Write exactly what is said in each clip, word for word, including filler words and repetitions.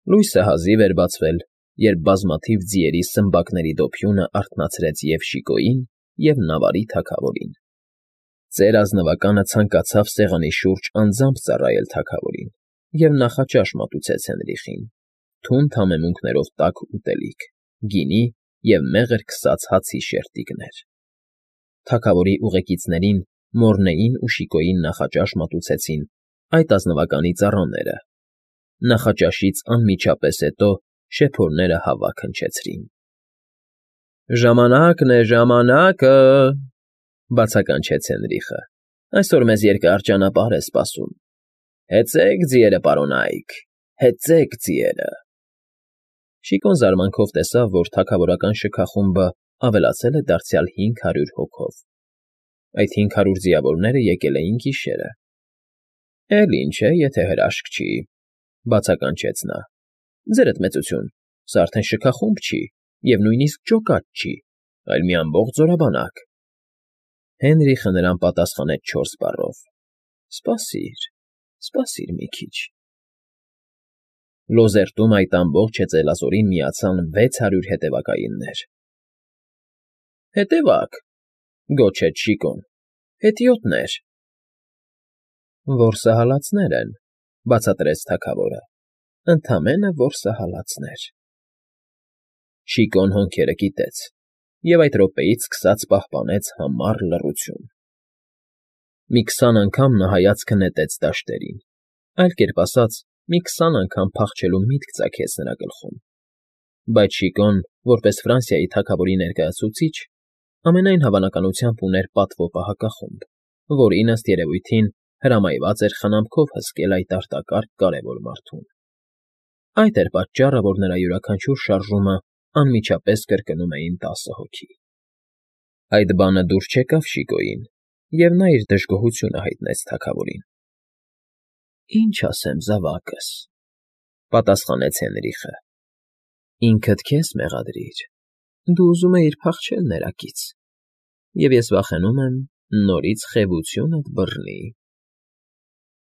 Լույսը հազիվ էր բացվել, երբ բազմաթիվ ձիերի սմբակների դոփյունը արթնացրեց և՛ Շիկոյին, և՛ Նավարի թագավորին։ Ծեր ազնվականը ցանկացավ սեղանի շուրջ անձամբ ծառայել թագավորին և նախաճաշ մատուցեց Հենրիխին, թունդ համեմունքներով տաք ուտելիք, գինի և մեղր քսած հացի շերտիկներ։ Թագավորի ուղեկիցներին Մոռնեին ու Շիկոյին նախաճաշ մատուցեցին այդ ազնվականի ծառաները։ Նախաճաշից անմիջապես հետո շեփորները հավաք հնչեցրին։ ֊ Ժամանակն է, ժամանակը,֊ բացականչեց Հենրիխը։֊ Այսօր մեզ երկար ճանապարհ է սպասում։ Հեծե՛ք, ձիերը պարոնա՛յք, հեծե՛ք, ձիերը… Շիկոն զարմանքով տեսավ, որ թագավորական շքախումբը ավելացել է դարձյալ հինգ հարյուր հոգով։ Այդ հինգ հարյուր ձիավորները եկել էին գիշերը։ ֊ Էլ ինչ է, եթե հրաշք չի,֊ բացականչեց նա։ ֊ Ձերդ մեծություն, սա արդեն շքախումբ չի և նույնիսկ ջոկատ չի, այլ մի ամբողջ զորաբանակ… Հենրիխը նրան պատասխանեց չորս բառով. «Սպասիր, սպասիր մի քիչ»։ Լոզերտում այդ ամբողջ հեծելազորին միացան վեց հարյուր հետևակայիններ։ ֊ Հետևա՛ք,֊ գոչեց Շիկոն,֊ հետիոտներ… Որսահալածներ են,֊ բացատրեց թագավորը,֊ ընդամենը որսահալածներ… Շիկոն հոնքերը կիտեց և այդ րոպեից սկսած պահպանեց համառ լռություն։ Մի քսան անգամ նա հայացքը նետեց դաշտերին, այլ կերպ ասած, մի քսան անգամ փախչելու միտք ծագեց նրա գլխում։ Բայց Շիկոն, որպես Ֆրանսիայի թագավորի ներկայացուցիչ, ամենայն հավանականությամբ ուներ պատվո պահակախումբ, որին, ըստ երևույթին, հրամայված էր խնամքով հսկել այդ արտակարգ կարևոր մարդուն։ Այդ էր պատճառը, որ նրա յուրաքանչյուր շարժումը անմիջապես կրկնում էին տասը հոգի։ Այդ բանը դուր չեկավ Շիկոյին, և նա իր դժգոհությունը հայտնեց թագավորին։ ֊ Ինչ ասեմ, զավակս,֊ պատասխանեց Հենրիխը,֊ ինքդ քեզ մեղադրիր, դու ուզում էիր փախչել ներակից, և ես վախենում եմ նորից խևությունդ բռնի… ֊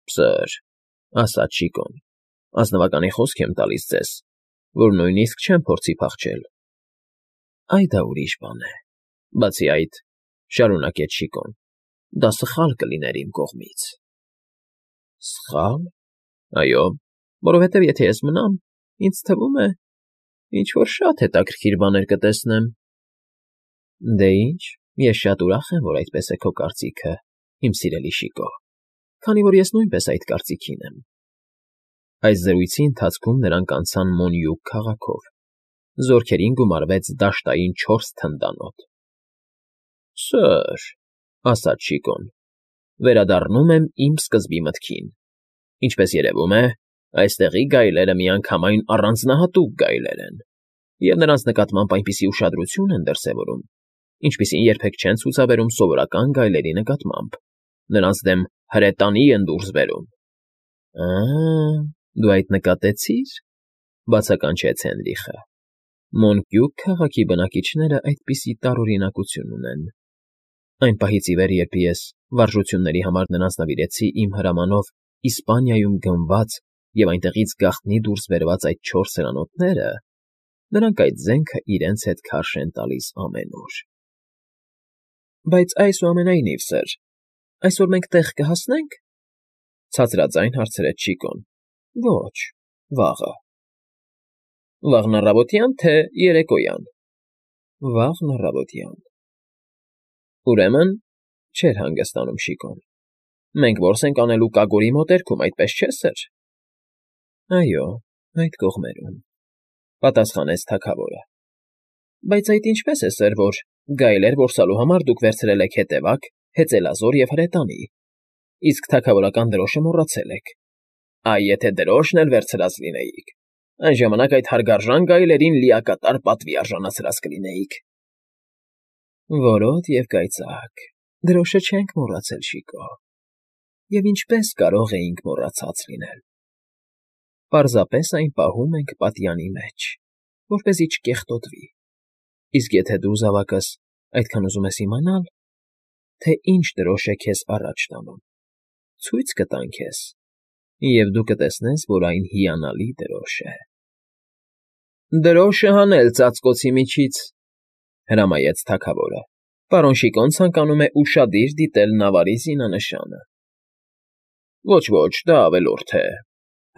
Պսը՜ր,֊ ասաց Շիկոն,֊ ազնվականի խոսք եմ տալիս ձեզ, որ նույնիսկ չեմ փորձի փախչել։ ֊ Այ դա ուրիշ բան է… Բացի այդ,֊ շարունակեց Շիկոն,֊ դա սխալ կլիներ իմ կողմից։ ֊ Սխա՞լ… Այո, որովհետև եթե ես մնամ, ինձ թվում է, ինչ֊որ շատ հետաքրքիր բաներ կտեսնեմ։ ֊ Դե ինչ, ես շատ ուրախ եմ, որ այդպես է քո կարծիքը, իմ սիրելի Շիկո, քանի որ ես նույնպես այդ կարծիքին եմ։ Այս զրույցի ընթացքում նրանք անցան Մոնյուկ քաղաքով, զորքերին գումարվեց դաշտային չորս թնդանոթ։ ֊ Սըր,֊ ասաց Շիկոն,֊ վերադառնում եմ իմ սկզբի մտքին. ինչպես երևում է, այստեղի գայլերը միանգամայն առանձնահատուկ գայլեր են, և նրանց նկատմամբ այնպիսի ուշադրություն են դրսևորում, ինչպիսին երբեք չեն ցուցաբերում սովորական գայլերի նկատմամբ, նրանց դեմ հրետանի են դուրս բերում։ ֊ Ա՜, դու այդ նկատեցի՞ր,֊ բացականչեց Հենրիխը։ Մոնկյուկ քաղաքի բնակիչներն այդպիսի տարօրինակություն ունեն… Այն պահից ի վեր, երբ ես վարժությունների համար նրանց նվիրեցի իմ հրամանով Իսպանիայում գնված և այնտեղից գաղտնի դուրս բերված այդ չորս հրանոթները, նրանք այդ զենքը իրենց հետ քարշ են տալիս ամեն օր։ ֊ Բայց այսուամենայնիվ, սըր, այսօր մենք տեղ կհասնե՞նք,֊ ցածրաձայն հարցրեց Շիկոն։ ֊ Ոչ, վաղը։ ֊ Վաղն առավոտյա՞ն, թե երեկոյան։ ֊ Վաղն առավոտյան։ ֊ Ուրեմն,֊ չէր հանգստանում Շիկոն,֊ մենք որս ենք անելու Կագորի մոտերքում, այդպես չէ՞, սըր։ ֊ Այո, այդ կողմերում,֊ պատասխանեց թագավորը։ ֊ Բայց այդ ինչպե՞ս է, սըր, որ գայլեր որսալու համար դուք վերցրել եք հետևակ, հեծելազոր և հրետանի, իսկ թագավորական դրոշը մոռացել եք։ Այ եթե դրոշն էլ վերցրած լինեիք, այն ժամանակ այդ հարգարժան գայլերին լիակատար պատվի արժանացրած կլինեիք։ ֊ Որոտ և կայծակ, դրոշը չենք մոռացել, Շիկո, և ինչպե՜ս կարող էինք մոռացած լինել… Պարզապես այն պահում ենք պատյանի մեջ, որպեսզի չկեղտոտվի, իսկ եթե դու, զավակս, այդքան ուզում ես իմանալ, թե ինչ դրոշ է քեզ առաջ տանում, ցույց կտամ քեզ, և դու կտեսնես, որ այն հիանալի դրոշ է։ Դրոշը հանել ծածկոցի միջից,֊ հրամայեց թագավորը։ Պարոն Շիկոն ցանկանում է ուշադիր դիտել նավարի զինանշանը։ ֊ Ոչ, ոչ, դա ավելորդ է,֊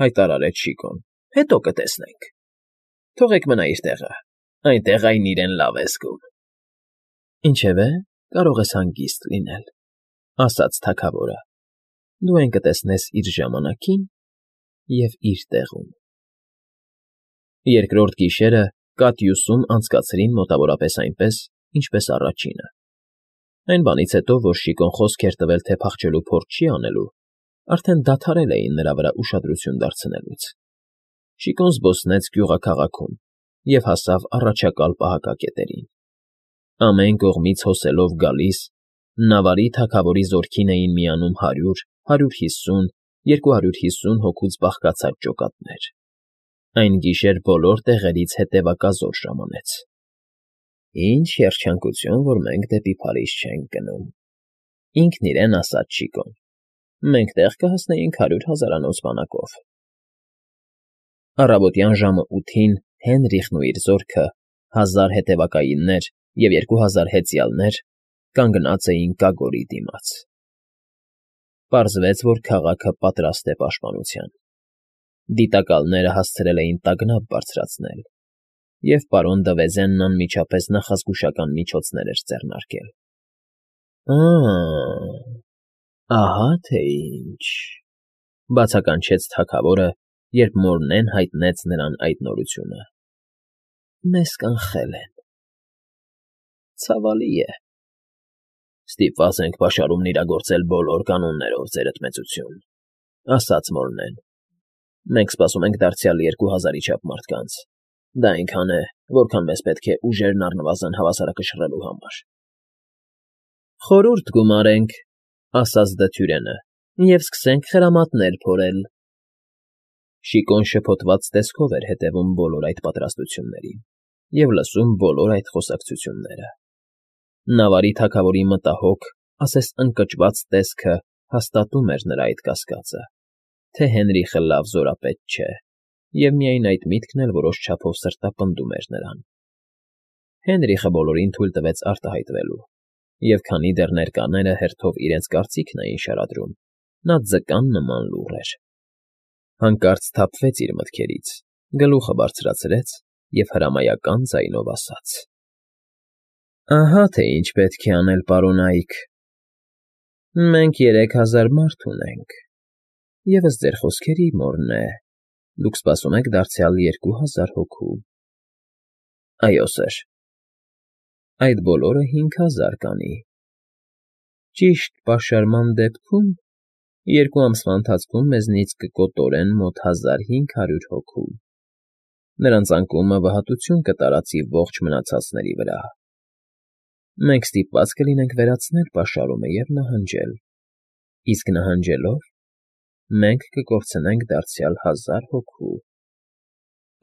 հայտարարեց Շիկոն,֊ հետո կտեսնենք։ Թողեք մնա իր տեղը, այնտեղ այն իրեն լավ է զգում։ ֊ Ինչևէ, կարող ես հանգիստ լինել,֊ ասաց թագավորը,֊ դու այն կտեսնես իր ժամանակին և իր տեղում։ Երկրորդ գիշերը Կատյուսում անցկացրին մոտավորապես այնպես, ինչպես առաջինը. այն բանից հետո, որ Շիկոն խոսք էր տվել, թե փախչելու փորձ չի անելու, արդեն դադարել էին նրա վրա ուշադրություն դարձնելուց։ Շիկոն զբոսնեց գյուղաքաղաքում և հասավ առաջակալ պահակակետերին։ Ամեն կողմից հոսելով գալիս, նավարի թագավորի զորքին էին միանում հարյուր, հարյուր հիսուն, երկու հարյուր հիսուն հոգուց բաղկացած ջոկատներ։ Այն գիշեր բոլոր տեղերից հետևակազոր ժամանեց։ «Ինչ երջանկություն, որ մենք դեպի Փարիզ չենք գնում,֊ ինքն իրեն ասաց Շիկոն,֊ մենք տեղ կհասնեինք հարյուր հազարանոց բանակով»։ Առավոտյան ժամը ութին Հենրիխն ու իր զորքը, հազար հետևակայիններ և երկու հազար հեծյալներ, կանգնած էին կագորի դիմաց։ Պարզվեց, որ քաղաքը պատրաստ է պաշտպանության։ Դիտակալները հասցրել էին տագնապ բարձրացնել, և պարոն Դվեզենն անմիջապես նախազգուշական միջոցներ էր ձեռնարկել։ «Ա՜, ահա թե ինչ,֊ բացականչեց թագավորը, երբ Մորնեն հայտնեց նրան այդ նորությունը։ Մեզ կանխել են… Ցավալի է։ Ստիպված ենք պաշարումն իրագործել բոլոր կանոններով, ձերդ մեծություն,֊ ասաց Մորնեն։ Մենք սպասում ենք դարձյալ երկու հազարի չափ մարդկանց։ Դա այնքան է, որքան մեզ պետք է ուժերն առնվազն հավասարակշռելու համար։ ֊ Խորհուրդ գումարենք,֊ ասաց դդյուրենը,֊ և սկսենք խրամատներ փորել։ Շիկոն շփոթված տեսքով էր հետևում բոլոր այդ պատրաստություններին և լսում բոլոր այդ խոսակցությունները։ Նավարի թագավորի մտահոգ, ասես ընկճված տեսքը հաստատում էր նրա այդ կասկածը, թե Հենրիխը լավ զորապետ չէ, և միայն այդ միտքն էլ որոշ չափով սրտապնդում էր նրան։ Հենրիխը բոլորին թույլ տվեց արտահայտվելու, և քանի դեռ ներկաները հերթով իրենց կարծիքն էին շարադրում, նա ձկան նման լուռ էր։ Հանկարծ սթափվեց իր մտքերից, գլուխը բարձրացրեց և հրամայական ձայնով ասաց. «Ահա թե ինչ պետք է անել, պարոնայք. մենք երեք հազար մարդ ունենք, և, ըստ ձեր խոսքերի, Մորնե, դուք սպասում եք դարձյալ երկու հազար հոգու։ ֊ Այո, սըր։ ֊ Այդ բոլորը հինգ հազար կանի։ Ճիշտ պաշարման դեպքում երկու ամսվա ընթացքում մեզնից կկոտորեն մոտ հազար հինգ հարյուր հոգու։ Նրանց անկումը վհատություն կտարածի ողջ մնացածների վրա։ Մենք ստիպված կլինենք վերացնել պաշարումը և նահանջել, իսկ նահանջելով մենք կկորցնենք դարձյալ հազար հոգու,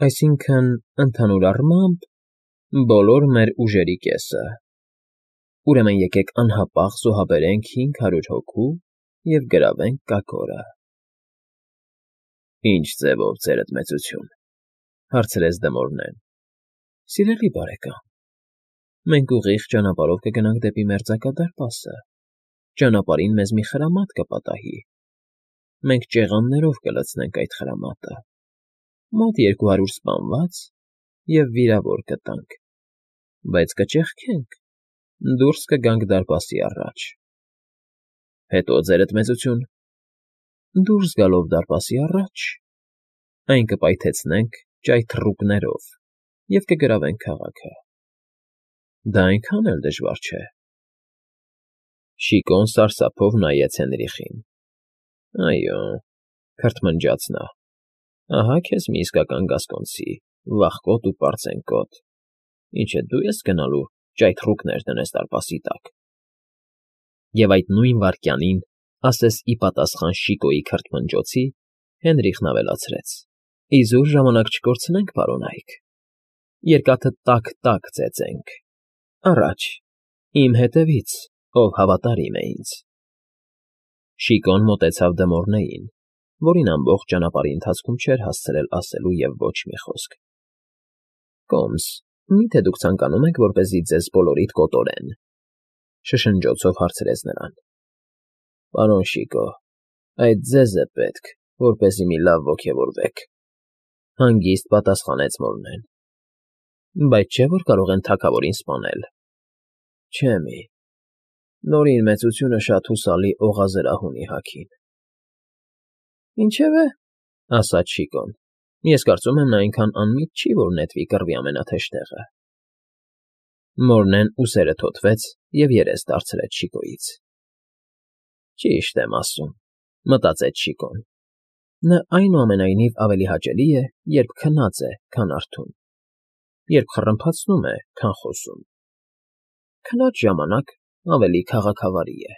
այսինքն, ընդհանուր առմամբ, բոլոր մեր ուժերի կեսը։ Ուրեմն եկեք անհապաղ զոհաբերենք հինգ հարյուր հոգու և գրավենք կագորը։ ֊ Ի՞նչ ձևով, ձերդ մեծություն,֊ հարցրեց Դմորնեն։ ֊ Սիրելի բարեկամ, մենք ուղիղ ճանապարհով կգնանք դեպի Մերձակադարպասը, ճանապարհին մեզ մի խրամատ կպատահի, մենք ճեղաններով կլցնենք այդ խրամատը, մոտ երկու հարյուր սպանված և վիրավոր կտանք, բայց կճեղքենք, դուրս կգանք դարպասի առաջ։ ֊ Հետո՞, ձերդ մեծություն։ ֊ Դուրս գալով դարպասի առաջ, այն կպայթեցնենք ճայթռուկներով և կգրավենք քաղաքը։ Դա այնքան էլ դժվար չէ։ Շիկոն սարսափով նայեց Հենրիխին։ ֊ Այո,֊ քրթմնջաց նա,֊ ահա քեզ մի իսկական գասկոնցի, վախկոտ ու պարծենկոտ, ինչ է դու ես գնալու ճայթռուկներ դնես դարպասի տակ։ Եվ այդ նույն վայրկյանին, ասես ի պատասխան Շիկոյի քրթմնջոցի, Հենրիխն ավելացրեց. ֊ Իզուր ժամանակ չկորցնենք, պարոնայք, երկաթը տաք֊տաք ծեծենք… Առաջ, իմ հետևից, ով հավատարիմ է ինձ… Շիկոն մոտեցավ Դմորնեին, որին ամբողջ ճանապարհի ընթացքում չէր հասցրել ասելու և ոչ մի խոսք։ Կոմս, մի՞թե դուք ցանկանում եք, որպեսզի ձեզ բոլորիդ կոտորեն,֊ շշնջոցով հարցրեց նրան։ ֊ Պարոն Շիկո, այդ ձեզ է պետք, որպեսզի մի լավ ոգևորվեք,֊ հանգիստ պատասխանեց Մորնեն։ ֊ Բայց չէ՞ որ կարող են թագավորին սպանել։ ֊ Չէ՞ մի, Նորին մեծությունը շատ հուսալի օղազրահ ունի հագին։ ֊ Ինչևէ,֊ ասաց Շիկոն,֊ ես կարծում եմ, նա այնքան անմիտ չի, որ նետվի կռվի ամենաթեժ տեղը։ Մորնեն ուսերը թոթվեց և երես դարձրեց Շիկոյից։ «Ճիշտ եմ ասում,֊ մտածեց Շիկոն։֊ Նա, այնուամենայնիվ, ավելի հաճելի է, երբ քնած է, քան արթուն, երբ խռմփացնում է, քան խոսում։ Քնած ժամանակ ավելի քաղաքավարի է»։